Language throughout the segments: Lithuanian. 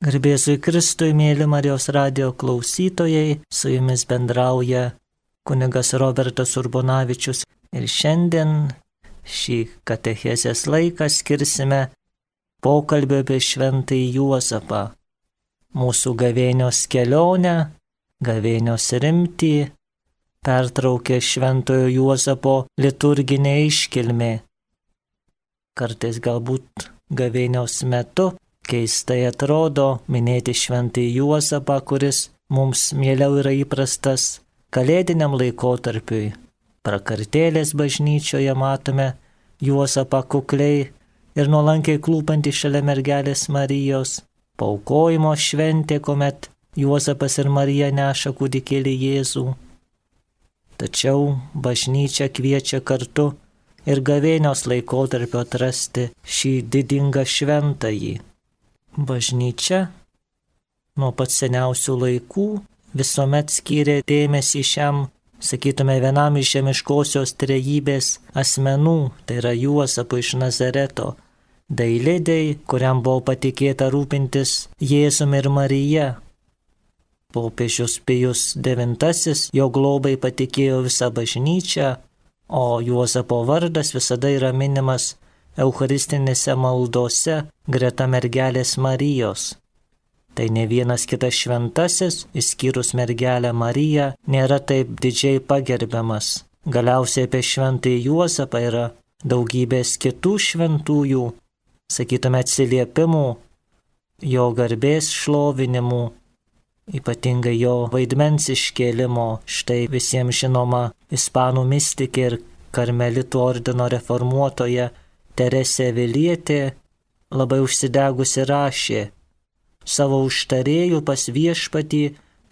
Garbėsui Kristui, mėly Marijos radijo klausytojai, su jumis bendrauja kunigas Robertas Urbonavičius ir šiandien šį katechezės laiką skirsime pokalbio apie šventąjį Juozapą, mūsų gavėnios kelionę, gavėnios rimtį, pertraukė šventojo Juozapo liturginė iškilmė. Kartais galbūt gavėnios metu keistai atrodo minėti šventąjį Juozapą, kuris mums mieliau yra įprastas kalėdiniam laikotarpiui. Prakartėlės bažnyčioje matome Juozapą kukliai ir nuolankiai klūpantį šalia mergelės Marijos. Paaukojimo šventė, kuomet Juozapas ir Marija neša kūdikėlį Jėzų. Tačiau bažnyčia kviečia kartu ir gavėnios laikotarpio atrasti šį didingą šventąjį. Bažnyčia nuo pat seniausių laikų visuomet skyrė dėmesį šiam, sakytume, vienam iš žemiškosios trejybės asmenų, tai yra Juozapui iš Nazareto, dailidei, kuriam buvo patikėta rūpintis Jėzumi ir Marija. Popiežius Pijus IX jo globai patikėjo visą bažnyčią, o Juozapo vardas visada yra minimas eucharistinėse maldose greta mergelės Marijos. Tai ne vienas kitas šventasis, išskyrus mergelę Mariją, nėra taip didžiai pagerbiamas. Galiausiai apie šventąjį Juozapą yra daugybės kitų šventųjų, sakytume, atsiliepimų, jo garbės šlovinimų, ypatingai jo vaidmens iškėlimo. Štai visiems žinoma ispanų mistikė ir karmelitų ordino reformuotoja Teresė Avilietė labai užsidegusi rašė: savo užtarėjų pas viešpatį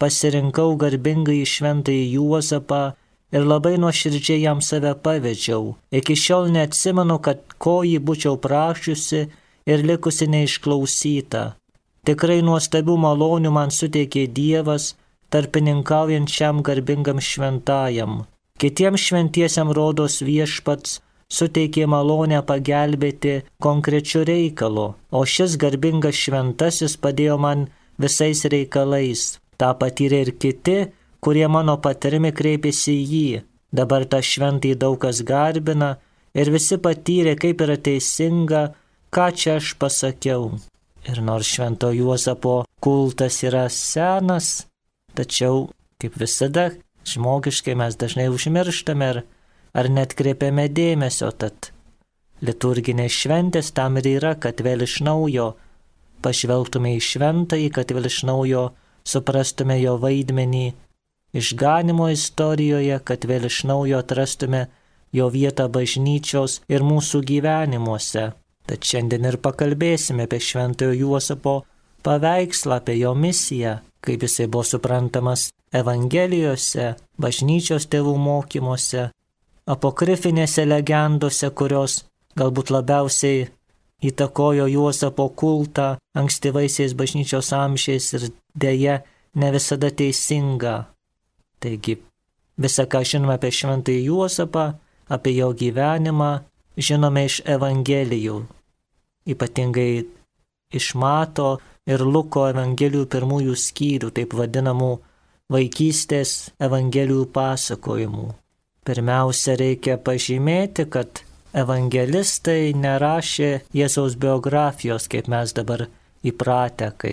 pasirinkau garbingai šventąjį Juozapą ir labai nuoširdžiai jam save pavedžiau. Iki šiol neatsimenu, kad ko jį būčiau prašiusi ir likusi neišklausyta. Tikrai nuostabių malonių man suteikė Dievas, tarpininkaujant šiam garbingam šventajam. Kitiems šventiesiam rodos viešpats suteikė malonę pagelbėti konkrečiu reikalu, o šis garbingas šventasis padėjo man visais reikalais. Ta patyrė ir kiti, kurie mano patarimi kreipėsi į jį. Dabar tą šventąjį daug kas garbina ir visi patyrė, kaip yra teisinga, ką čia aš pasakiau. Ir nors švento Juozapo kultas yra senas, tačiau, kaip visada, žmogiškai mes dažnai užmirštame ar net kreipiame dėmesio, tad liturginės šventės tam ir yra, kad vėl iš naujo pažvelgtume į šventąjį, kad vėl iš naujo suprastume jo vaidmenį išganimo istorijoje, kad vėl iš naujo atrastume jo vietą bažnyčios ir mūsų gyvenimuose. Tad šiandien ir pakalbėsime apie šventojo Juozapo paveikslą, apie jo misiją, kaip jisai buvo suprantamas Evangelijose, bažnyčios tėvų mokymuose, apokrifinėse legendose, kurios galbūt labiausiai įtakojo Juozapo kultą ankstyvaisiais bažnyčios amžiais ir deja ne visada teisinga. Taigi, visą, ką žinome apie šventąjį Juozapą, apie jo gyvenimą, žinome iš Evangelijų, ypatingai iš Mato ir Luko Evangelijų pirmųjų skyrių, taip vadinamų vaikystės Evangelijų pasakojimų. Pirmiausia, reikia pažymėti, kad evangelistai nerašė Jėzaus biografijos, kaip mes dabar įpratę, kai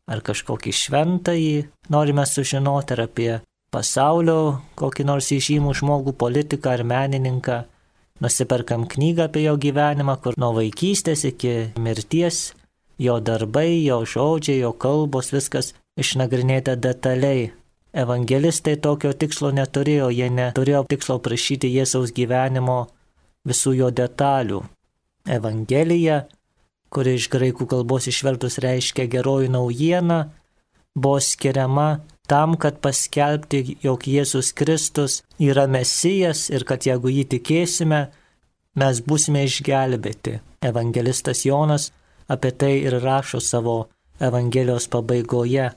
ar kažkokį šventąjį norime sužinoti, ar apie pasaulio kokį nors įžymų žmogų, politiką ar menininką. Nusiperkam knygą apie jo gyvenimą, kur nuo vaikystės iki mirties jo darbai, jo žodžiai, jo kalbos, viskas išnagrinėta detaliai. Evangelistai tokio tikslo neturėjo, jie neturėjo tikslo prašyti Jėzaus gyvenimo visų jo detalių. Evangelija, kuri iš graikų kalbos išvertus reiškia geroji naujiena, buvo skiriama tam, kad paskelbti, jog Jėzus Kristus yra Mesijas ir kad jeigu jį tikėsime, mes būsime išgelbėti. Evangelistas Jonas apie tai ir rašo savo Evangelijos pabaigoje,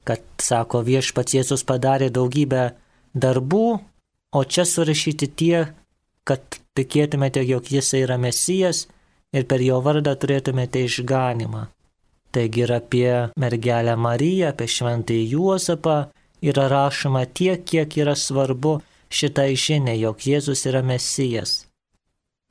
kad, sako, viešpats Jėzus padarė daugybę darbų, o čia surašyti tie, kad tikėtumėte, jog jis yra Mesijas ir per jo vardą turėtumėte išganimą. Taigi ir apie mergelę Mariją, apie šventąjį Juozapą yra rašoma tiek, kiek yra svarbu šitai žinia, jog Jėzus yra Mesijas.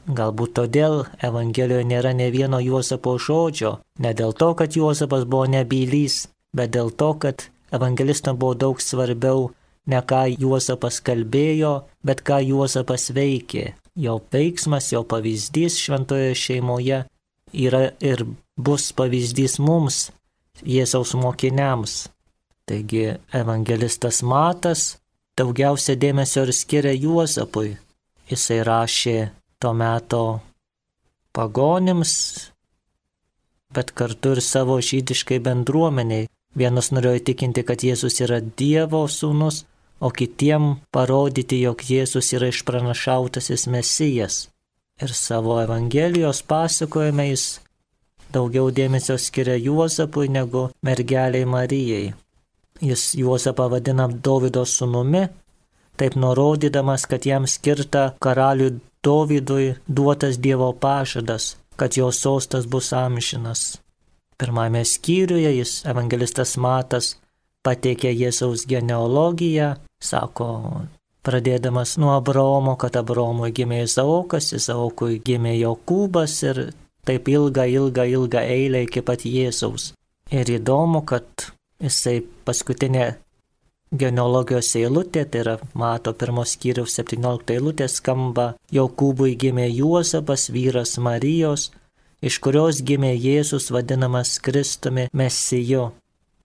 Galbūt todėl Evangelijoje nėra ne vieno Juozapo žodžio, ne dėl to, kad Juozapas buvo nebylys, bet dėl to, kad evangelistam buvo daug svarbiau ne ką Juozapas kalbėjo, bet ką Juozapas veikė. Jo veiksmas, jo pavyzdys šventoje šeimoje yra ir bus pavyzdys mums, Jėzaus mokiniams. Taigi evangelistas Matas daugiausia dėmesio ir skiria Juozapui. Jisai rašė to meto pagonims, bet kartu ir savo žydiškai bendruomeniai. Vienas norėjo įtikinti, kad Jėzus yra Dievo sūnus, o kitiem parodyti, jog Jėzus yra išpranašautasis Mesijas. Ir savo Evangelijos pasakojime jis daugiau dėmesio skiria Juozapui negu mergeliai Marijai. Jis Juozapą vadina Dovydo sūnumi, taip nurodydamas, kad jam skirta karaliui Dovydui duotas Dievo pažadas, kad jo sostas bus amžinas. Pirmame skyriuje jis, evangelistas Matas, pateikė Jėzaus genealogiją, sako, pradėdamas nuo Abraomo, kad Abraomui gimė Izaokas, Izaokui gimė Jokūbas ir taip ilgą eilę iki pat Jėzaus. Ir įdomu, kad jisai paskutinė genealogijos eilutė, tai yra Mato 1 skyriaus 17 eilutė, skamba: Jokūbui gimė Juozapas, vyras Marijos, iš kurios gimė Jėzus vadinamas Kristumi Mesiju.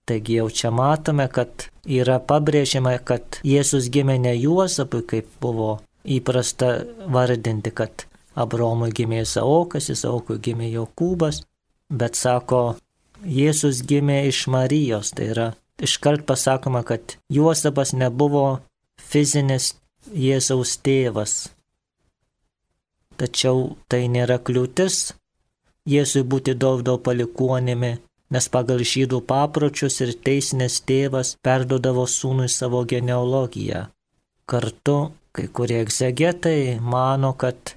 Taigi jau čia matome, kad yra pabrėžiama, kad Jėzus gimė ne Juozapui, kaip buvo įprasta vardinti, kad Abraomui gimė Izaokas, Izaokui gimė Jokūbas, bet sako, Jėzus gimė iš Marijos. Tai yra iškart pasakoma, kad Juozapas nebuvo fizinis Jėzaus tėvas. Tačiau tai nėra kliūtis Jėzui būti Dovydo palikuonimi, nes pagal žydų papročius ir teisinės tėvas perduodavo sūnui savo genealogiją. Kartu kai kurie egzegetai mano, kad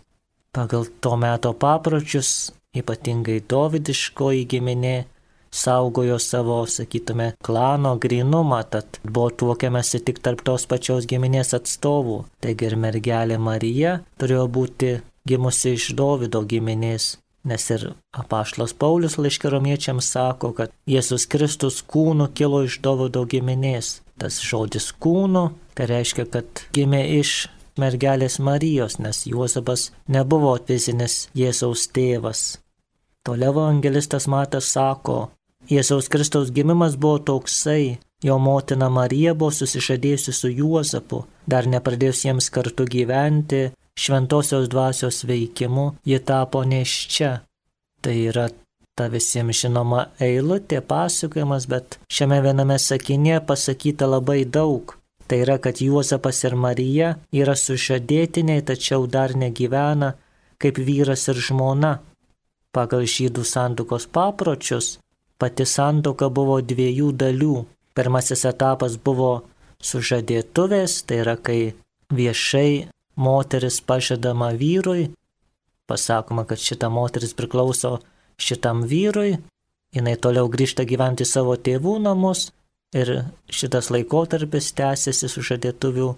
pagal to meto papročius, ypatingai dovydiškoji giminė, saugojo savo, sakytume, klano grynumą, tad buvo tuokiamasi tik tarp tos pačios giminės atstovų. Taigi ir mergelė Marija turėjo būti gimusi iš Dovydo giminės, nes ir apaštalas Paulius laiške Romiečiams sako, kad Jėzus Kristus kūnu kilo iš Dovydo giminės. Tas žodis kūnu, tai reiškia, kad gimė iš mergelės Marijos, nes Juozapas nebuvo fizinis Jėzaus tėvas. Toliau evangelistas Matas sako, Jėzaus Kristaus gimimas buvo toksai, jo motina Marija buvo susižadėjusi su Juozapu, dar nepradėjus jiems kartu gyventi, šventosios dvasios veikimu ji tapo nėščia. Tai yra ta visiems žinoma eilutė, pasakojimas, bet šiame viename sakinyje pasakyta labai daug. Tai yra, kad Juozapas ir Marija yra sužadėtiniai, tačiau dar negyvena kaip vyras ir žmona. Pagal žydų santuokos papročius pati santuoka buvo dviejų dalių. Pirmasis etapas buvo sužadėtuvės, tai yra, kai viešai moteris pažadama vyrui, pasakoma, kad šita moteris priklauso šitam vyrui, jinai toliau grįžta gyventi savo tėvų namus ir šitas laikotarpis tęsiasi sužadėtuvių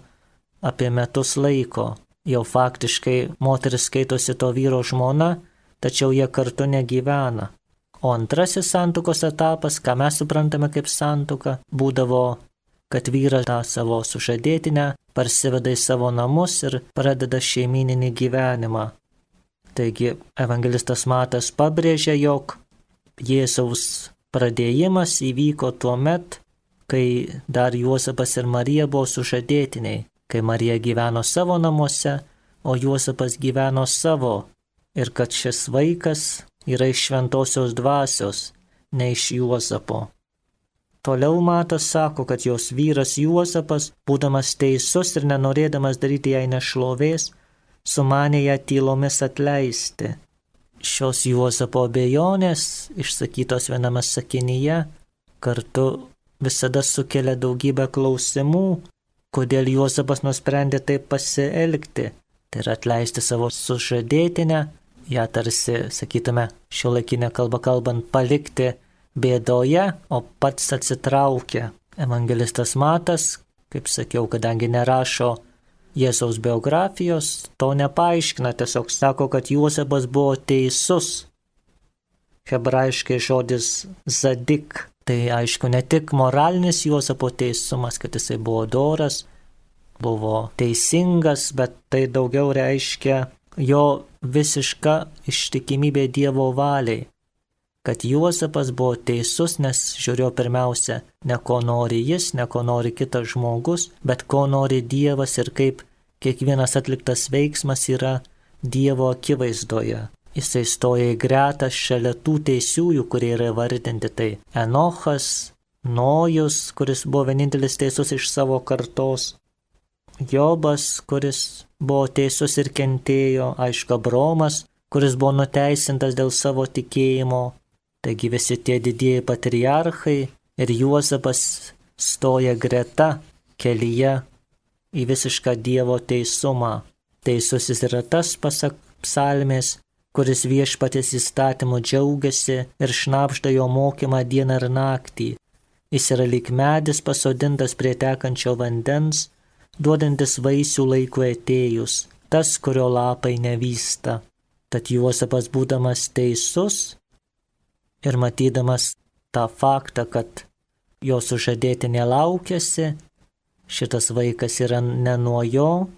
apie metus laiko. Jau faktiškai moteris skaitosi to vyro žmona, tačiau jie kartu negyvena. O antrasis santuokos etapas, ką mes suprantame kaip santuoka, būdavo, kad vyras tą savo sužadėtinę parsiveda į savo namus ir pradeda šeimyninį gyvenimą. Taigi evangelistas Matas pabrėžia, jog Jėzaus pradėjimas įvyko tuo met, kai dar Juozapas ir Marija buvo sužadėtiniai, kai Marija gyveno savo namuose, o Juozapas gyveno savo. Ir kad šis vaikas yra iš šventosios dvasios, ne iš Juozapo. Toliau Matas sako, kad jos vyras Juozapas, būdamas teisus ir nenorėdamas daryti jai nešlovės, sumanė ją tylomis atleisti. Šios Juozapo abejonės, išsakytos viename sakinyje, kartu visada sukelia daugybę klausimų, kodėl Juozapas nusprendė taip pasielgti. Tai yra atleisti savo sužadėtinę, ją tarsi, sakytume, šiuolaikinę kalbą kalbant, palikti bėdoje, o pats atsitraukia. Evangelistas Matas, kaip sakiau, kadangi nerašo Jėzaus biografijos, to nepaaiškina, tiesiog sako, kad Juozapas buvo teisus. Hebrajiškai žodis zadik, tai aišku ne tik moralinis Juozapo teisumas, kad jisai buvo doras, buvo teisingas, bet tai daugiau reiškia jo visiška ištikimybė Dievo valiai. Kad Juozapas buvo teisus, nes žiūrėjo pirmiausia, ne ko nori jis, ne ko nori kitas žmogus, bet ko nori Dievas ir kaip kiekvienas atliktas veiksmas yra Dievo akivaizdoje. Jisai stoja į gretą šalia tų teisiųjų, kurie yra vardinti, tai Enochas, Nojus, kuris buvo vienintelis teisus iš savo kartos, Jobas, kuris buvo teisus ir kentėjo, aišku, Abromas, kuris buvo nuteisintas dėl savo tikėjimo. Taigi visi tie didieji patriarchai ir Juozapas stoja greta kelyje į visišką Dievo teisumą. Teisusis yra tas, pasak psalmės, kuris viešpaties įstatymu džiaugiasi ir šnabžda jo mokymą dieną ir naktį. Jis yra lyg medis pasodintas prie tekančio vandens, duodantis vaisių laiku atėjus, tas, kurio lapai nevysta. Tad Juozapas, būdamas teisus ir matydamas tą faktą, kad jo sužadėtinė laukiasi, šitas vaikas yra ne nuo jo,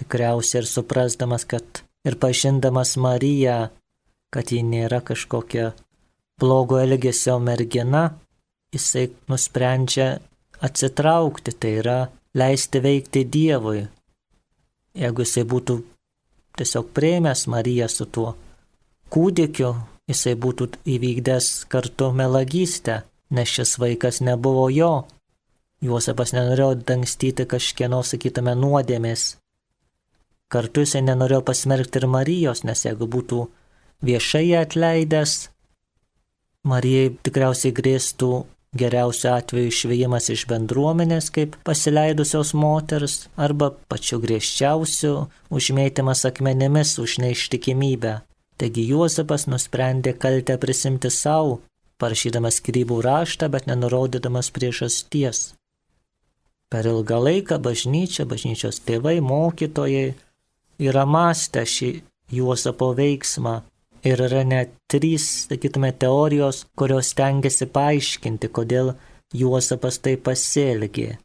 tikriausiai ir suprasdamas, kad ir pažindamas Mariją, kad ji nėra kažkokia blogo elgesio mergina, jisai nusprendžia atsitraukti, tai yra leisti veikti Dievui. Jeigu jisai būtų tiesiog priėmęs Mariją su tuo kūdikiu, jisai būtų įvykdęs kartu melagystę, nes šis vaikas nebuvo jo. Juozapas nenorėjo dangstyti kažkieno, sakytume, nuodėmės. Kartu jisai nenorėjo pasmerkti ir Marijos, nes jeigu būtų viešai atleidęs, Marijai tikriausiai grėstų geriausiu atveju išvėjimas iš bendruomenės kaip pasileidusios moters arba pačiu griežčiausiu užmėtymas akmenimis už neištikimybę. Taigi Juozapas nusprendė kaltę prisimti savo, parašydamas skyrybų raštą, bet nenurodydamas priežasties. Per ilgą laiką bažnyčios tėvai, mokytojai yra mąstę šį Juozapo veiksmą ir yra net 3, sakytume, teorijos, kurios stengiasi paaiškinti, kodėl Juozapas taip pasielgė.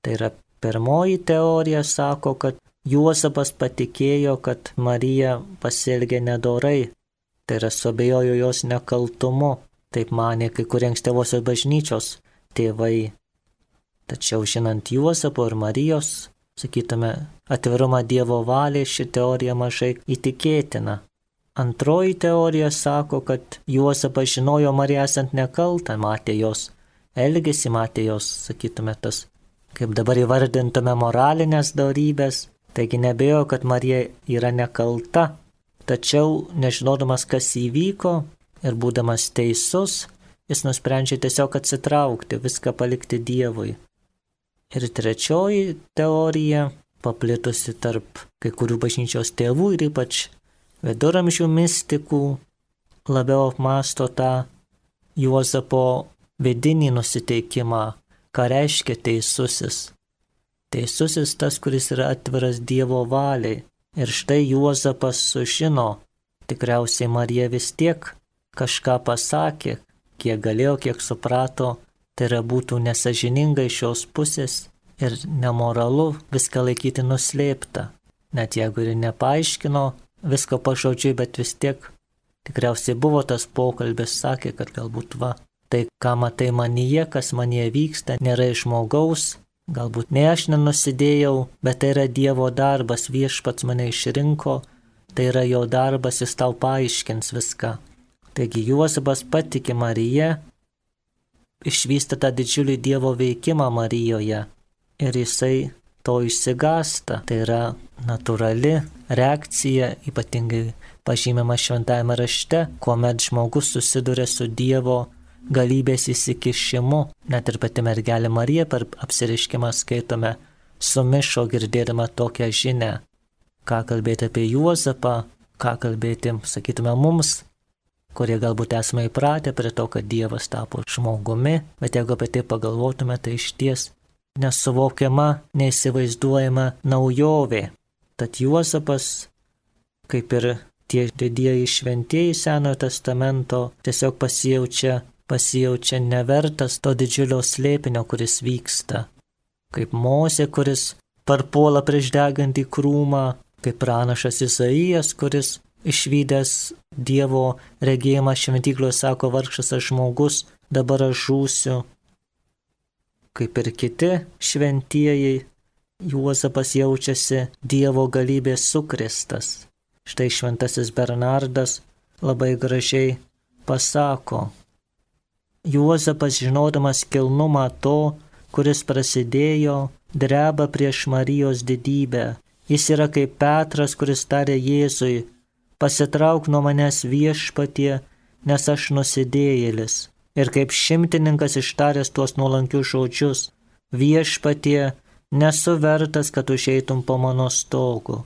Tai yra pirmoji teorija, sako, kad Juozapas patikėjo, kad Marija pasielgė nedorai, tai yra suabejojo jos nekaltumu, taip manė kai kurie ankstyvosios bažnyčios tėvai. Tačiau žinant Juozapo ir Marijos, sakytume, atvirumą Dievo valiai, ši teorija mažai įtikėtina. Antroji teorija sako, kad Juozapas žinojo Mariją esant nekaltą, matė jos elgesį, matė jos, sakytume, tas, kaip dabar įvardintume, moralinės dorybės, taigi nebėjo, kad Marija yra nekalta, tačiau nežinodamas, kas įvyko ir būdamas teisus, jis nusprendžia tiesiog atsitraukti, viską palikti Dievui. Ir trečioji teorija, paplitusi tarp kai kurių bažnyčios tėvų ir ypač viduramžių mistikų, labiau apmąsto tą Juozapo vidinį nusiteikimą, ką reiškia teisusis. Teisusis tas, kuris yra atviras Dievo valiai. Ir štai Juozapas sužino, tikriausiai Marija vis tiek kažką pasakė, kiek galėjo, kiek suprato, tai yra būtų nesažininga iš šios pusės ir nemoralu viską laikyti nuslėpta. Net jeigu ir nepaaiškino visko pažodžiui, bet vis tiek tikriausiai buvo tas pokalbis, sakė, kad galbūt tai, ką matai manyje, kas manyje vyksta, nėra iš žmogaus, galbūt ne aš nenusidėjau, bet tai yra Dievo darbas, viešpats mane išrinko, tai yra jo darbas, jis tau paaiškins viską. Taigi Juozapas patiki Mariją, išvysta tą didžiulį Dievo veikimą Marijoje ir jisai to išsigąsta. Tai yra natūrali reakcija, ypatingai pažymima šventajame rašte, kuomet žmogus susiduria su Dievo galybės įsikišimu. Net ir pati mergelė Marija per apsireiškimą skaitome, sumišo girdėdama tokią žinią. Ką kalbėti apie Juozapą, ką kalbėti, sakytume, mums, kurie galbūt esame įpratę prie to, kad Dievas tapo žmogumi, bet jeigu apie tai pagalvotume, tai išties nesuvokiama, neįsivaizduojama naujovė. Tad Juozapas, kaip ir tie didieji šventieji Senojo testamento, tiesiog pasijaučia nevertas to didžiulio slėpinio, kuris vyksta. Kaip Mozė, kuris parpuola prieš degantį krūmą, kaip pranašas Izaijas, kuris išvydęs Dievo regėjimą šventykloje sako, vargšas aš žmogus, dabar aš žūsiu. Kaip ir kiti šventieji, Juozapas jaučiasi Dievo galybės sukrėstas. Štai šventasis Bernardas labai gražiai pasako, Juozapas, žinodamas kilnumą to, kuris prasidėjo, dreba prieš Marijos didybę. Jis yra kaip Petras, kuris tarė Jėzui, pasitrauk nuo manęs viešpatie, nes aš nusidėjėlis. Ir kaip šimtininkas ištaręs tuos nuolankius žodžius, viešpatie, nesu vertas, kad užeitum po mano stogu.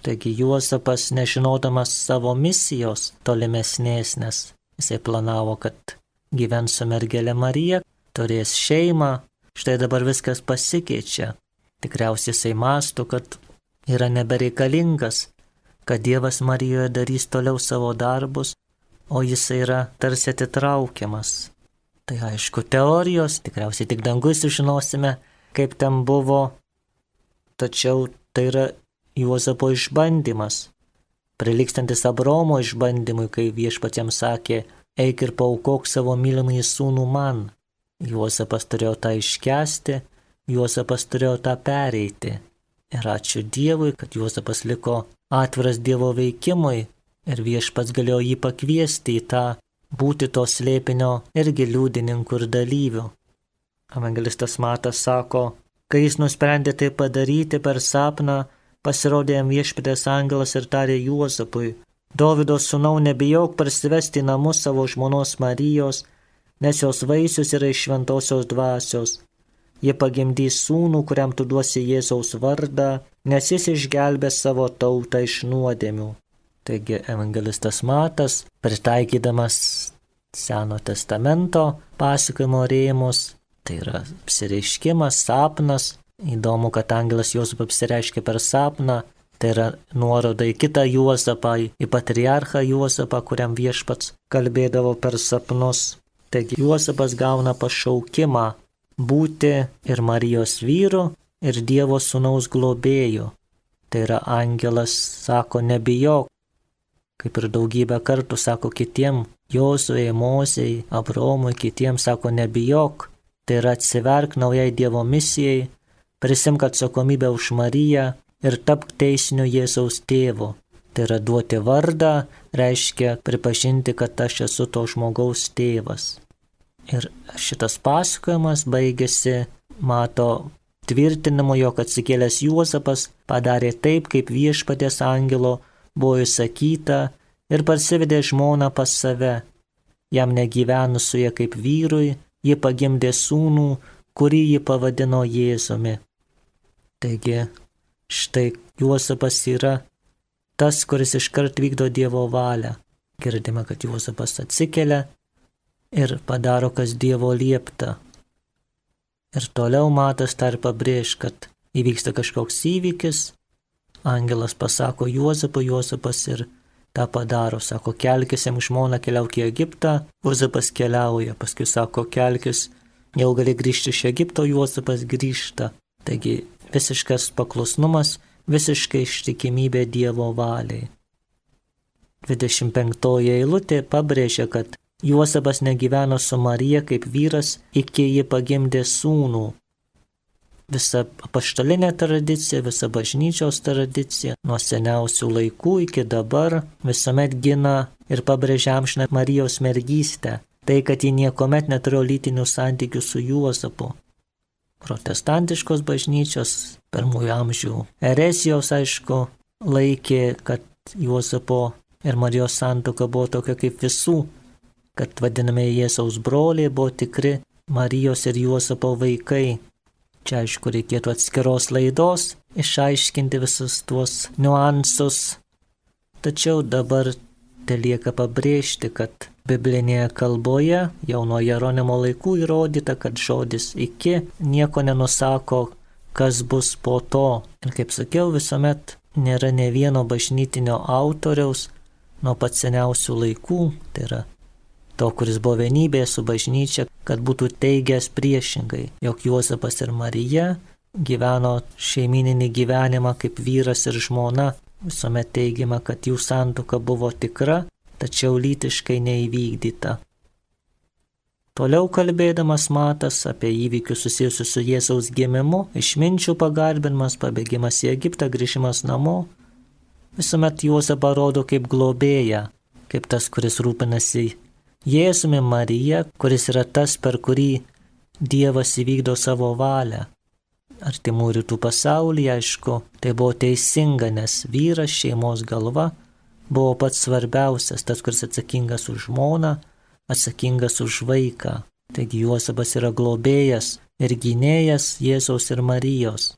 Taigi Juozapas, nežinodamas savo misijos tolimesnės, nes jisai planavo, kad gyvens su mergelė Marija, turės šeimą, štai dabar viskas pasikeičia. Tikriausiai jisai mąsto, kad yra nebereikalingas, kad Dievas Marijoje darys toliau savo darbus, o jisai yra tarsi atitraukiamas. Tai aišku teorijos, tikriausiai tik danguj sužinosime, kaip ten buvo, tačiau tai yra Juozapo išbandymas, prilygstantis Abraomo išbandymui, kai viešpats jam sakė, eik ir paaukok savo mylimąjį sūnų man. Juozapas turėjo tą iškęsti, Juozapas turėjo tą pereiti. Ir ačiū Dievui, kad Juozapas liko atviras Dievo veikimui ir viešpats galėjo jį pakviesti į tą būti to slėpinio irgi liudininkų ir dalyvių. Evangelistas Matas sako, kai jis nusprendė tai padaryti per sapną, pasirodė jam viešpaties angelas ir tarė Juozapui, Dovydo sūnau, nebijok parsivesti į namus savo žmonos Marijos, nes jos vaisius yra iš šventosios dvasios. Jie pagimdys sūnų, kuriam tu duosi Jėzaus vardą, nes jis išgelbės savo tautą iš nuodėmių. Taigi evangelistas Matas, pritaikydamas Seno testamento pasakojimo rėmus, tai yra apsireiškimas, sapnas. Įdomu, kad angelas Juozapui apsireiškė per sapną, tai yra nuoroda į kitą Juozapą, į patriarchą Juozapą, kuriam viešpats kalbėdavo per sapnus. Taigi Juozapas gauna pašaukimą būti ir Marijos vyru, ir Dievo sūnaus globėju. Tai yra angelas sako, nebijok, kaip ir daugybę kartų sako kitiem, Jozuei, Mozei, Abraomui, kitiems sako, nebijok. Tai yra atsiverk naujai Dievo misijai, prisimk atsakomybę už Mariją ir tapk teisiniu Jėzaus tėvu. Tai yra duoti vardą, reiškia pripažinti, kad aš esu to žmogaus tėvas. Ir šitas pasakojimas baigėsi, mato tvirtinimu, jog atsikėlęs Juozapas padarė taip, kaip viešpaties angelo buvo įsakyta ir parsivedė žmoną pas save. Jam negyvenus su ja kaip vyrui, ji pagimdė sūnų, kurį ji pavadino Jėzumi. Taigi, štai Juozapas yra tas, kuris iškart vykdo Dievo valią. Girdime, kad Juozapas atsikelia ir padaro, kas Dievo liepta. Ir toliau Matas dar pabrėž, kad įvyksta kažkoks įvykis, angelas pasako Juozapui, Juozapas ir tą padaro, sako, kelkis jam žmoną, keliauk į Egiptą, Juozapas keliauja, paskui sako, kelkis, jau gali grįžti iš Egipto, Juozapas grįžta. Taigi visiškas paklusnumas, visiškai ištikimybė Dievo valiai. 25 eilutė pabrėžia, kad Juozapas negyveno su Marija kaip vyras, iki ji pagimdė sūnų. Visa apaštalinė tradicija, visa bažnyčios tradicija, nuo seniausių laikų iki dabar visuomet gina ir pabrėžia amžiną Marijos mergystę, tai, kad ji niekuomet neturėjo lytinių santykių su Juozapu. Protestantiškos bažnyčios pirmųjų amžių erezijos, aišku, laikė, kad Juozapo ir Marijos santuoka buvo tokia kaip visų, kad vadinami Jėzaus broliai buvo tikri Marijos ir Juozapo vaikai. Čia, aišku, reikėtų atskiros laidos išaiškinti visus tuos niuansus. Tačiau dabar telieka pabrėžti, kad biblinėje kalboje jau nuo Jeronimo laikų įrodyta, kad žodis iki nieko nenusako, kas bus po to. Ir kaip sakiau, visuomet nėra ne vieno bažnytinio autoriaus nuo pat seniausių laikų, tai yra to, kuris buvo vienybėje su bažnyčia, kad būtų teigęs priešingai, jog Juozapas ir Marija gyveno šeimininį gyvenimą kaip vyras ir žmona. Visuomet teigiama, kad jų santuoka buvo tikra, tačiau lytiškai neįvykdyta. Toliau kalbėdamas Matas apie įvykius susijusius su Jėzaus gimimu, išminčių pagarbinimas, pabėgimas į Egiptą, grįžimas namo, visuomet Juozapą rodo kaip globėją, kaip tas, kuris rūpinasi Jėzumi, Marija, kuris yra tas, per kurį Dievas įvykdo savo valią. Artimų rytų pasaulyje, aišku, tai buvo teisinga, nes vyras, šeimos galva, buvo pats svarbiausias, tas, kuris atsakingas už žmoną, atsakingas už vaiką. Taigi Juozapas yra globėjas ir gynėjas Jėzaus ir Marijos.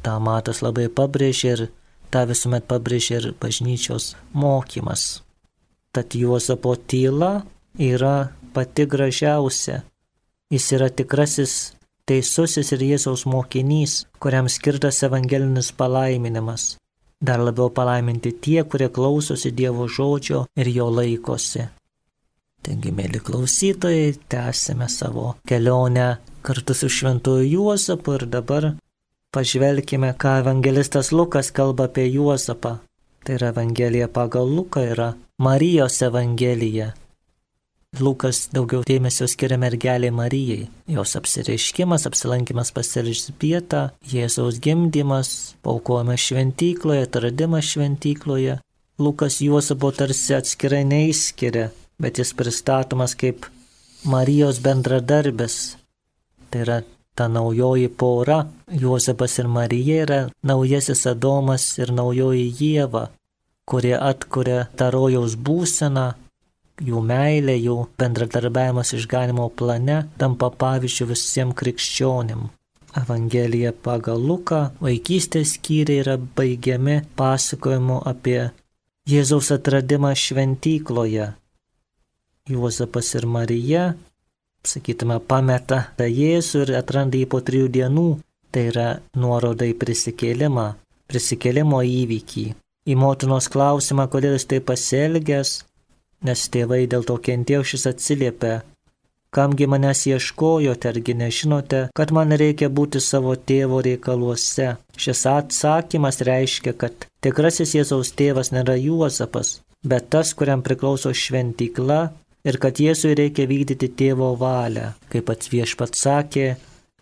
Ta Matas labai pabrėžė ir tą visuomet pabrėžė ir bažnyčios mokymas. Tad Juozapo tyla yra pati gražiausia. Jis yra tikrasis teisusis ir Jėzaus mokinys, kuriam skirtas evangelinis palaiminimas. Dar labiau palaiminti tie, kurie klausosi Dievo žodžio ir jo laikosi. Taigi, mėly klausytojai, tęsime savo kelionę kartu su šventuoju Juozapu ir dabar pažvelkime, ką evangelistas Lukas kalba apie Juozapą. Tai yra Evangelija pagal Luką, yra Marijos Evangelija. Lukas daugiau dėmesio skiria mergelei Marijai. Jos apsireiškimas, apsilankimas pas Elžbietą, Jėzaus gimdymas, paaukojimas šventykloje, atradimas šventykloje. Lukas Juozapo tarsi atskirai neišskiria, bet jis pristatomas kaip Marijos bendradarbis. Tai yra ta naujoji pora. Juozapas ir Marija yra naujasis Adomas ir naujoji Ieva, kurie atkuria tą rojaus būseną. Jų meilė, jų bendradarbiavimas išganimo plane tampa pavyzdžiu visiems krikščionim. Evangelija pagal Luką vaikystės skyriai yra baigiami pasakojimu apie Jėzaus atradimą šventykloje. Juozapas ir Marija, sakytume, pameta tą Jėzų ir atranda jį po 3 dienų. Tai yra nuoroda į prisikėlimo įvykį. Į motinos klausimą, kodėl jis taip pasielgęs, nes tėvai dėl to kentėjo, šis atsiliepė: kamgi manęs ieškojote, argi nežinote, kad man reikia būti savo tėvo reikaluose. Šis atsakymas reiškia, kad tikrasis Jėzaus tėvas nėra Juozapas, bet tas, kuriam priklauso šventykla, ir kad Jėzui reikia vykdyti tėvo valią. Kaip pats Viešpats sakė,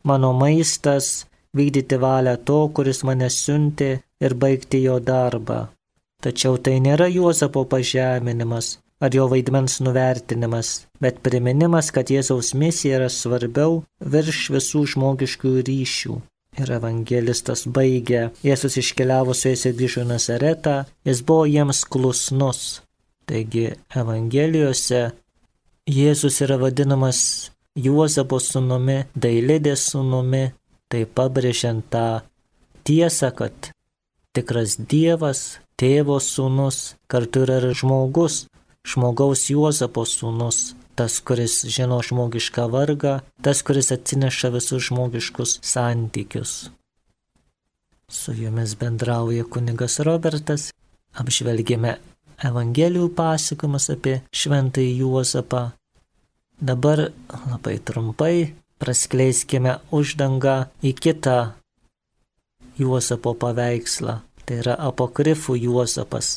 mano maistas vykdyti valią to, kuris mane siuntė, ir baigti jo darbą. Tačiau tai nėra Juozapo pažeminimas ar jo vaidmens nuvertinimas, bet priminimas, kad Jėzaus misija yra svarbiau virš visų žmogiškų ryšių. Ir evangelistas baigia: Jėzus iškeliavo su jais ir grįžo į Nazaretą, jis buvo jiems klusnus. Taigi Evangelijose Jėzus yra vadinamas Juozapo sūnumi, Dailidės sūnumi, tai pabrėžiant tą tiesą, kad tikras Dievas, tėvo sūnus, kartu yra ir žmogus, žmogaus Juozapo sūnus, tas, kuris žino žmogišką vargą, tas, kuris atsineša visus žmogiškus santykius. Su jumis bendrauja kunigas Robertas, apžvelgėme Evangelijų pasakojimus apie šventąjį Juozapą. Dabar labai trumpai praskleiskime uždangą į kitą Juozapo paveikslą, tai yra apokrifų Juozapas.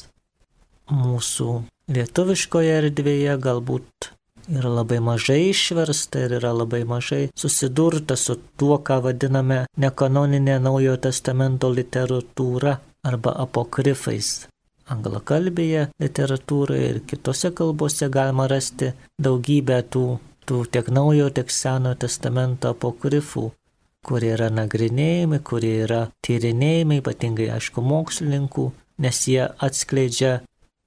Mūsų lietuviškoje erdvėje galbūt yra labai mažai išversta ir yra labai mažai susidurta su tuo, ką vadiname nekanoninė Naujojo testamento literatūra arba apokrifais. Anglakalbėje literatūroje ir kitose kalbose galima rasti daugybę tų tiek Naujojo, tiek Senojo testamento apokrifų, kurie yra nagrinėjami, kurie yra tyrinėjami, ypatingai aišku mokslininkų, nes jie atskleidžia,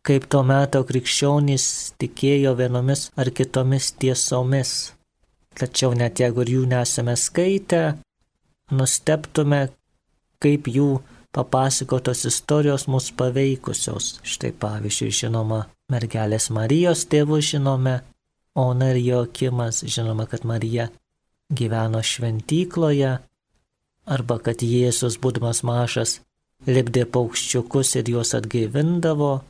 kaip to meto krikščionys tikėjo vienomis ar kitomis tiesomis. Tačiau net jeigu ir jų nesame skaitę, nustebtume, kaip jų papasakotos istorijos mus paveikusios. Štai pavyzdžiui, žinoma, mergelės Marijos tėvu žinome, Ona ir Joakimas, žinoma, kad Marija gyveno šventykloje, arba kad Jėzus, būdamas mažas, lipdė paukščiukus ir juos atgaivindavo.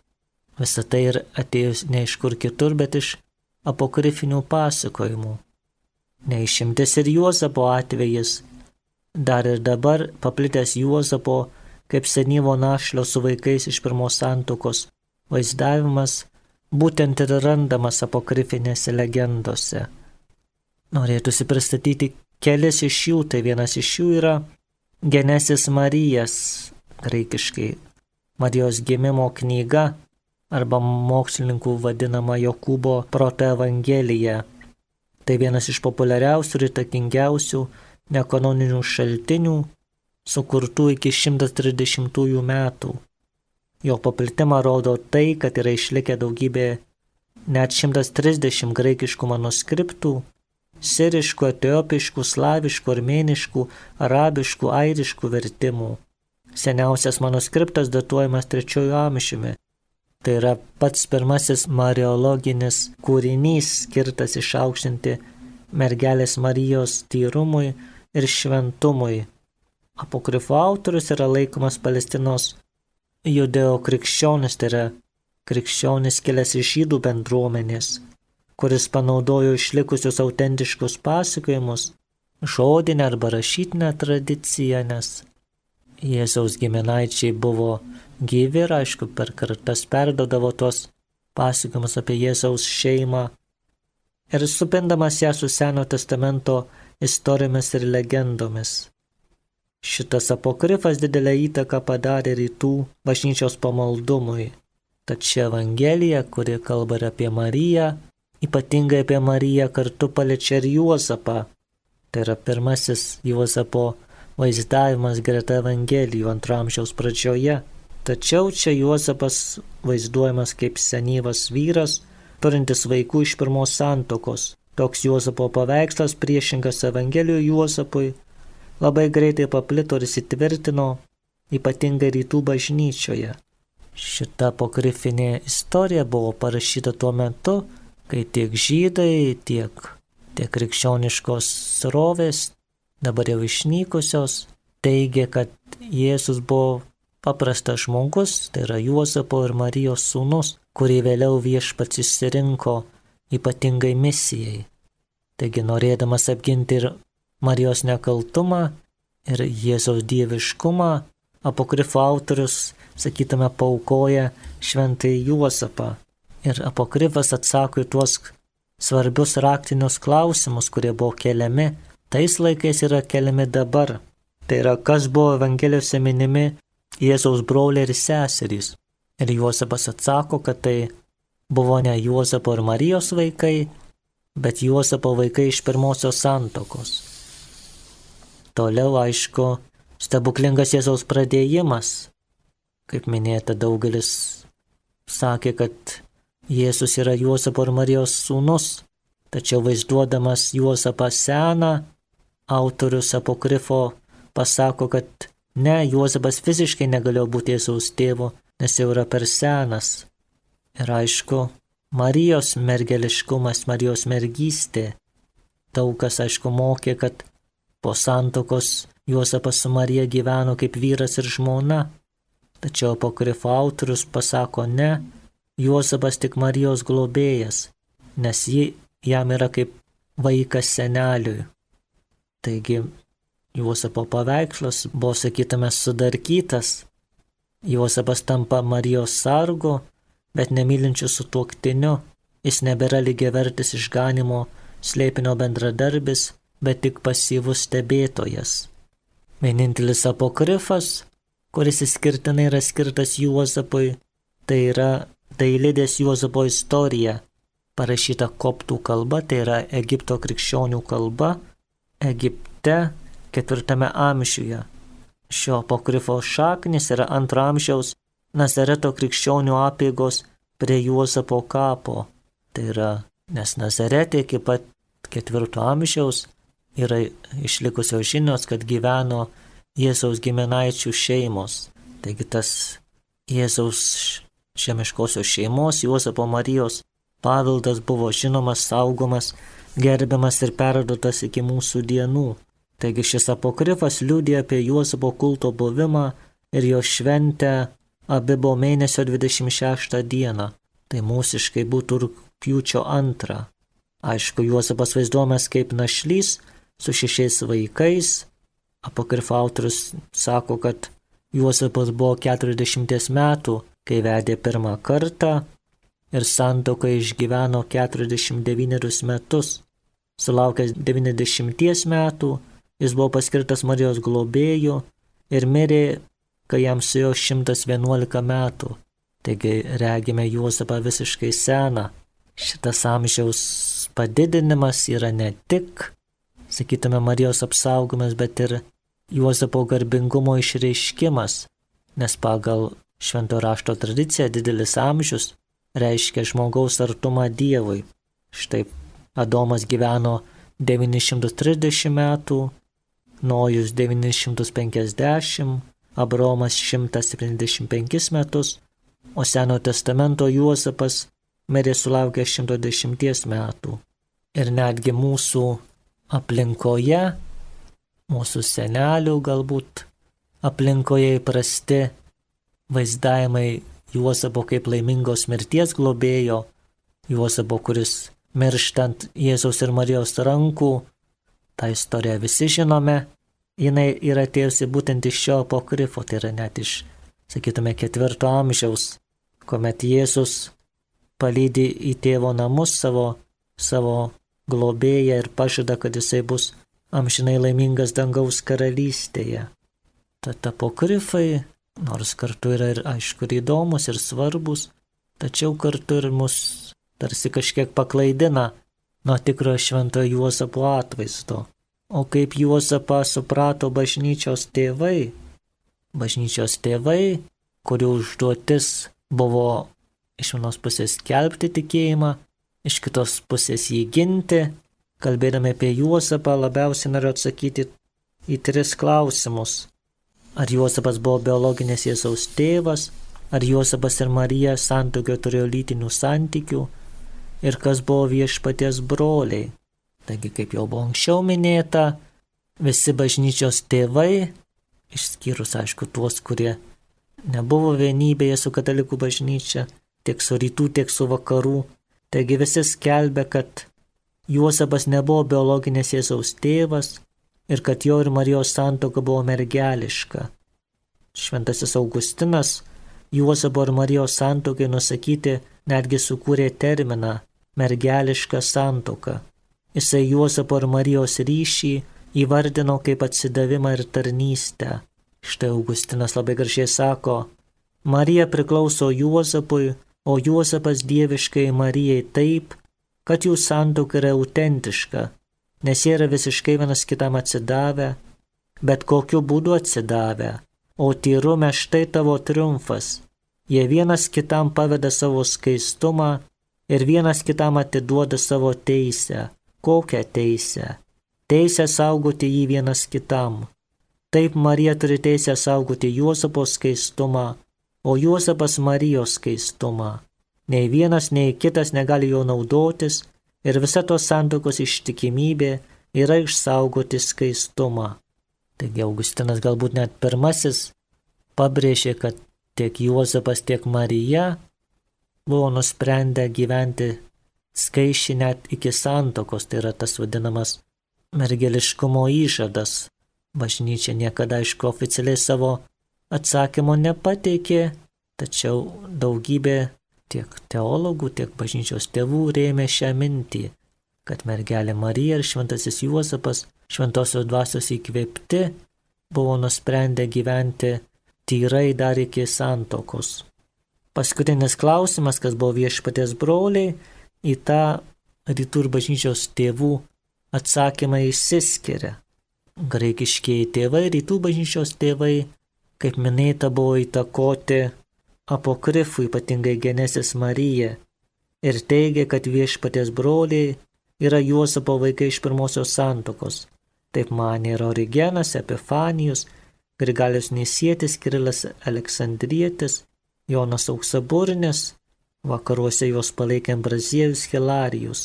Visą tai ir atėjus ne iš kur kitur, bet iš apokrifinių pasakojimų. Neišimtis ir Juozapo atvejis. Dar ir dabar paplitęs Juozapo kaip senyvo našlio su vaikais iš pirmos santuokos vaizdavimas būtent ir randamas apokrifinėse legendose. Norėtųsi pristatyti kelis iš jų, tai vienas iš jų yra Genesis Marijas, graikiškai Marijos gimimo knyga, arba mokslininkų vadinama Jokūbo protoevangelija. Tai vienas iš populiariausių ir įtakingiausių nekanoninių šaltinių, sukurtų iki 130 metų. Jo paplitimą rodo tai, kad yra išlikę daugybė, net 130 graikiškų manuskriptų, siriškų, etiopiškų, slaviškų, armėniškų, arabiškų, airiškų vertimų. Seniausias manuskriptas datuojamas 3 amžiumi. Tai yra pats pirmasis mariologinis kūrinys, skirtas išaukštinti mergelės Marijos tyrumui ir šventumui. Apokrifo autorius yra laikomas Palestinos judeo-krikščionis, tai yra krikščionis kilęs iš žydų bendruomenės, kuris panaudojo išlikusius autentiškus pasakojimus, žodinę arba rašytinę tradiciją, nes Jėzaus giminaičiai buvo gyvi ir aišku per kartas perdodavo tos pasakojimus apie Jėzaus šeimą ir supindamas ją su Seno testamento istorijomis ir legendomis. Šitas apokrifas didelę įtaką padarė rytų bažnyčios pamaldumui. Tad ši evangelija, kuri kalba ir apie Mariją, ypatingai apie Mariją, kartu paliečia ir Juozapą. Tai yra pirmasis Juozapo vaizdavimas greta evangelijų 2 amžiaus pradžioje. Tačiau čia Juozapas vaizduojamas kaip senyvas vyras, turintis vaikų iš pirmos santuokos. Toks Juozapo paveikslas priešingas evangelijų Juozapui labai greitai paplito ir įsitvirtino, ypatingai rytų bažnyčioje. Šita apokrifinė istorija buvo parašyta tuo metu, kai tiek žydai, tiek krikščioniškos srovės, dabar jau išnykusios, teigė, kad Jėzus buvo paprastas žmogus, tai yra Juozapo ir Marijos sūnus, kurį vėliau viešpats išsirinko ypatingai misijai. Taigi norėdamas apginti ir Marijos nekaltumą ir Jėzaus dieviškumą, apokrifo autorius, sakytume, paaukoja šventąjį Juozapą. Ir apokrifas atsako į tuos svarbius raktinius klausimus, kurie buvo keliami, tais laikais yra keliami dabar. Tai yra, kas buvo evangelijose minimi Jėzaus broliai ir seserys. Ir Juozapas atsako, kad tai buvo ne Juozapo ir Marijos vaikai, bet Juozapo vaikai iš pirmosios santuokos. Toliau, aišku, stebuklingas Jėzaus pradėjimas. Kaip minėta, daugelis sakė, kad Jėzus yra Juozapo ir Marijos sūnus, tačiau vaizduodamas Juozapą seną, autorius apokrifo pasako, kad ne, Juozapas fiziškai negalėjo būti Jėzaus tėvu, nes jau yra per senas. Ir aišku, Marijos mergeliškumas, Marijos mergystė. Daug kas, aišku, mokė, kad po santuokos Juozapas su Marija gyveno kaip vyras ir žmona. Tačiau apokrifo autorius pasako ne, Juozapas tik Marijos globėjas, nes ji jam yra kaip vaikas seneliui. Taigi Juozapo paveikslas buvo, sakytume, sudarkytas. Juozapas tampa Marijos sargu, bet nemylinčiu sutuoktiniu. Jis nebėra lygiavertis išganimo slėpinio bendradarbis, bet tik pasyvus stebėtojas. Vienintelis apokrifas, kuris išskirtinai yra skirtas Juozapui, tai yra Dailidės Juozapo istorija, parašyta koptų kalba, tai yra Egipto krikščionių kalba, Egipte 4 amžiuje. Šio apokrifo šaknis yra 2 amžiaus Nazareto krikščionių apeigos prie Juozapo kapo. Tai yra, nes Nazarete iki pat 4 amžiaus yra išlikusios žinios, kad gyveno Jėzaus giminaičių šeimos. Taigi tas Jėzaus žemiškosios šeimos Juozapo Marijos paveldas buvo žinomas, saugomas, gerbiamas ir perduotas iki mūsų dienų. Taigi šis apokrifas liudija apie Juozapo kulto buvimą ir jo šventę Abibo mėnesio 26 dieną. Tai mūsiškai būtų rugpjūčio 2. Aišku, Juozapas vaizduojamas kaip našlys su 6 vaikais. Apokrifo autorius sako, kad Juozapas buvo 40 metų, kai vedė pirmą kartą ir santuoką išgyveno 49 metus. Sulaukęs 90 metų, jis buvo paskirtas Marijos globėju ir mirė, kai jam suėjo 111 metų. Taigi regime Juozapą visiškai seną. Šitas amžiaus padidinimas yra ne tik, sakytume, Marijos apsaugomas, bet ir Juozapo garbingumo išreiškimas, nes pagal švento rašto tradiciją didelis amžius reiškia žmogaus artumą Dievui. Štai Adomas gyveno 930 metų, Nojus 950, Abraomas 175 metus, o Senojo testamento Juozapas mirė sulaukęs 110 metų. Ir netgi mūsų aplinkoje, mūsų senelių galbūt aplinkoje įprasti vaizdavimai Juozapo kaip laimingos mirties globėjo, Juozapo, kuris mirštant Jėzaus ir Marijos rankų, tą istoriją visi žinome, jinai yra atėjusi būtent iš šio apokrifo, tai yra net iš, sakytume, 4 amžiaus, kuomet Jėzus palydi į tėvo namus savo globėją ir pažada, kad jisai bus amžinai laimingas dangaus karalystėje. Tad apokrifai, nors kartu yra ir aišku ir įdomus ir svarbus, tačiau kartu ir mus tarsi kažkiek paklaidina nuo tikrojo šventojo Juozapo atvaizdo. O kaip Juozapą suprato bažnyčios tėvai, kurių užduotis buvo iš vienos pusės skelbti tikėjimą, iš kitos pusės jį ginti, kalbėdami apie Juozapą labiausiai noriu atsakyti į 3 klausimus. Ar Juozapas buvo biologinis Jėzaus tėvas, ar Juozapas ir Marija santuokoje turėjo lytinių santykių ir kas buvo viešpaties broliai. Taigi, kaip jau buvo anksčiau minėta, visi bažnyčios tėvai, išskyrus aišku tuos, kurie nebuvo vienybėje su katalikų bažnyčia, tiek su rytų, tiek su vakarų, taigi visi skelbė, kad Juozapas nebuvo biologinis Jėzaus tėvas ir kad jo ir Marijos santuoka buvo mergeliška. Šventasis Augustinas Juozapo ir Marijos santuokai nusakyti netgi sukūrė terminą mergeliška santuoka. Jisai Juozapo ir Marijos ryšį įvardino kaip atsidavimą ir tarnystę. Štai Augustinas labai gražiai sako, Marija priklauso Juozapui, o Juozapas dieviškai Marijai taip, kad jų santuoka yra autentiška, nes jie yra visiškai vienas kitam atsidavę, bet kokiu būdu atsidavę, o tyrume štai tavo triumfas. Jie vienas kitam paveda savo skaistumą ir vienas kitam atiduoda savo teisę. Kokią teisę? Teisę saugoti jį vienas kitam. Taip Marija turi teisę saugoti Juozapo skaistumą, o Juozapas Marijos skaistumą. Nei vienas, nei kitas negali jo naudotis ir visa tos santuokos ištikimybė yra išsaugoti skaistumą. Taigi Augustinas galbūt net pirmasis pabrėžė, kad tiek Juozapas, tiek Marija buvo nusprendę gyventi skaičiai net iki santuokos, tai yra tas vadinamas mergeliškumo įžadas. Bažnyčia niekada aišku oficialiai savo atsakymo nepateikė, tačiau daugybė tiek teologų, tiek bažnyčios tėvų rėmė šią mintį, kad mergelė Marija ir šventasis Juozapas šventosios dvasios įkvėpti buvo nusprendę gyventi tyrai dar iki santuokos. Paskutinis klausimas, kas buvo viešpaties broliai, į tą rytų ir bažnyčios tėvų atsakymą išsiskiria. Graikiškieji tėvai, rytų bažnyčios tėvai, kaip minėta, buvo įtakoti apokrifų, ypatingai Genesis Marija, ir teigia, kad viešpaties broliai yra Juozapo vaikai iš pirmosios santuokos. Taip manė ir Origenas, Epifanijus, Grigalius Nisietis, Kirilas Aleksandrietis Jonas Auksaburnis, vakaruose juos palaikė Ambraziejus Hilarijus,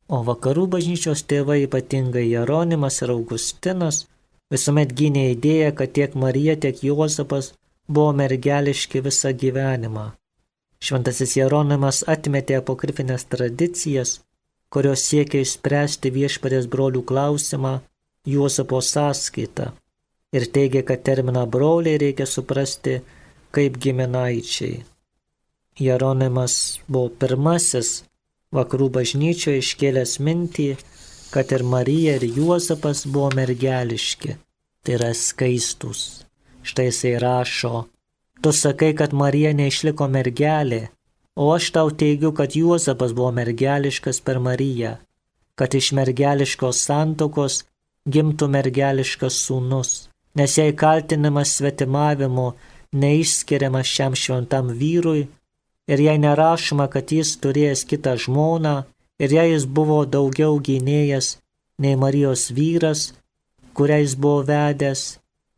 o vakarų bažnyčios tėvai, ypatingai Jeronimas ir Augustinas, visuomet gynė idėją, kad tiek Marija, tiek Juozapas buvo mergeliški visą gyvenimą. Šventasis Jeronimas atmetė apokrifinės tradicijas, kurios siekia išspręsti Viešpaties brolių klausimą Juozapo sąskaitą ir teigia, kad terminą broliai reikia suprasti kaip giminaičiai. Jeronimas buvo pirmasis vakarų bažnyčioje iškėlęs mintį, kad ir Marija, ir Juozapas buvo mergeliški, tai yra skaistus. Štai jisai rašo: tu sakai, kad Marija neišliko mergelė, o aš tau teigiu, kad Juozapas buvo mergeliškas per Mariją, kad iš mergeliškos santuokos gimtų mergeliškas sūnus, nes jei kaltinimas svetimavimu neišskiriamas šiam šventam vyrui, ir jei nerašoma, kad jis turėjęs kitą žmoną, ir jei jis buvo daugiau gynėjas nei Marijos vyras, kurią jis buvo vedęs,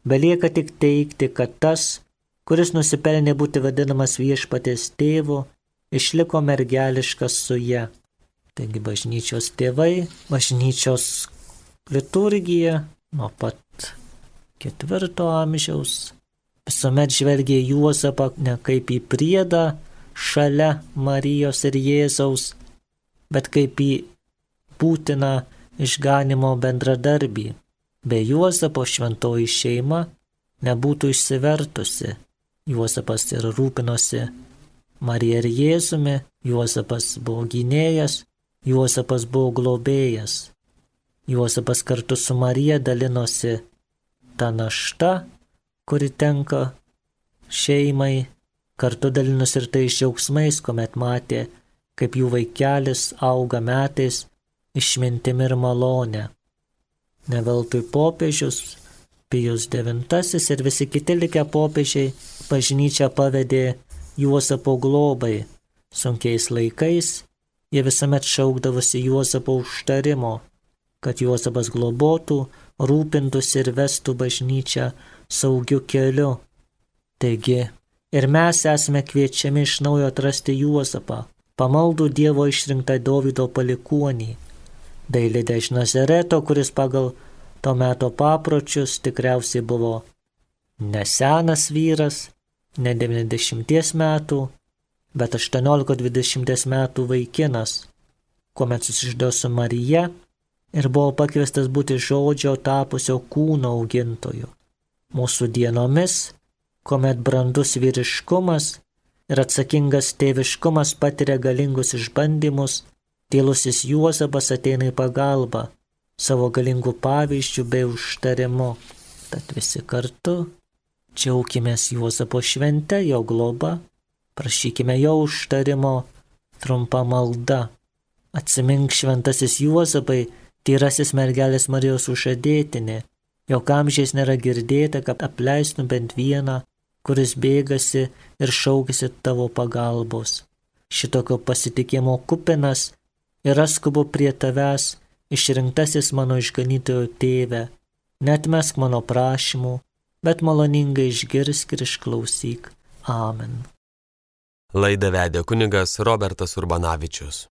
belieka tik teigti, kad tas, kuris nusipelnė būti vadinamas Viešpaties tėvu, išliko mergeliškas su ja. Taigi bažnyčios tėvai, bažnyčios liturgija nuo pat 4 amžiaus visuomet žvelgė Juozapą ne kaip į priedą šalia Marijos ir Jėzaus, bet kaip į būtiną išganimo bendradarbį. Be Juozapo šventoji šeima nebūtų išsivertusi. Juozapas ir rūpinosi Marija ir Jėzumi, Juozapas buvo gynėjas, Juozapas buvo globėjas. Juozapas kartu su Marija dalinosi tą naštą, kuri tenka šeimai, kartu dalinosi ir tais džiaugsmais, kuomet matė, kaip jų vaikelis auga metais išmintimi ir malone. Ne veltui popiežius Pijus IX ir visi kiti likę popiežiai bažnyčią pavedė Juozapo globai. Sunkiais laikais jie visuomet šaukdavosi Juozapo užtarimo, kad Juozapas globotų, rūpintųsi ir vestų bažnyčią saugiu keliu. Taigi ir mes esame kviečiami iš naujo atrasti Juozapą, pamaldų Dievo išrinktą Dovydo palikuonį, Dailidę iš Nazareto, kuris pagal to meto papročius tikriausiai buvo nesenas vyras, ne 90 metų, bet 18-20 metų vaikinas, kuomet susižadėjo su Marija ir buvo pakviestas būti žodžio tapusio kūno augintoju. Mūsų dienomis, kuomet brandus vyriškumas ir atsakingas tėviškumas patiria galingus išbandymus, tylusis Juozapas ateina į pagalbą savo galingų pavyzdžių bei užtarimu. Tad visi kartu džiaukimės Juozapo švente, jo globa, prašykime jo užtarimo trumpa malda. Atsimink, šventasis Juozapai, tyrasis mergelės Marijos sužadėtinė, jog amžiais nėra girdėta, kad apleistum bent vieną, kuris bėgasi ir šaukėsi tavo pagalbos. Šitokio pasitikėjimo kupinas ir aš skubu prie tavęs, išrinktasis mano išganytojo tėve, neatmesk mano prašymų, bet maloningai išgirsk ir išklausyk. Amen. Laidą vedė kunigas Robertas Urbanavičius.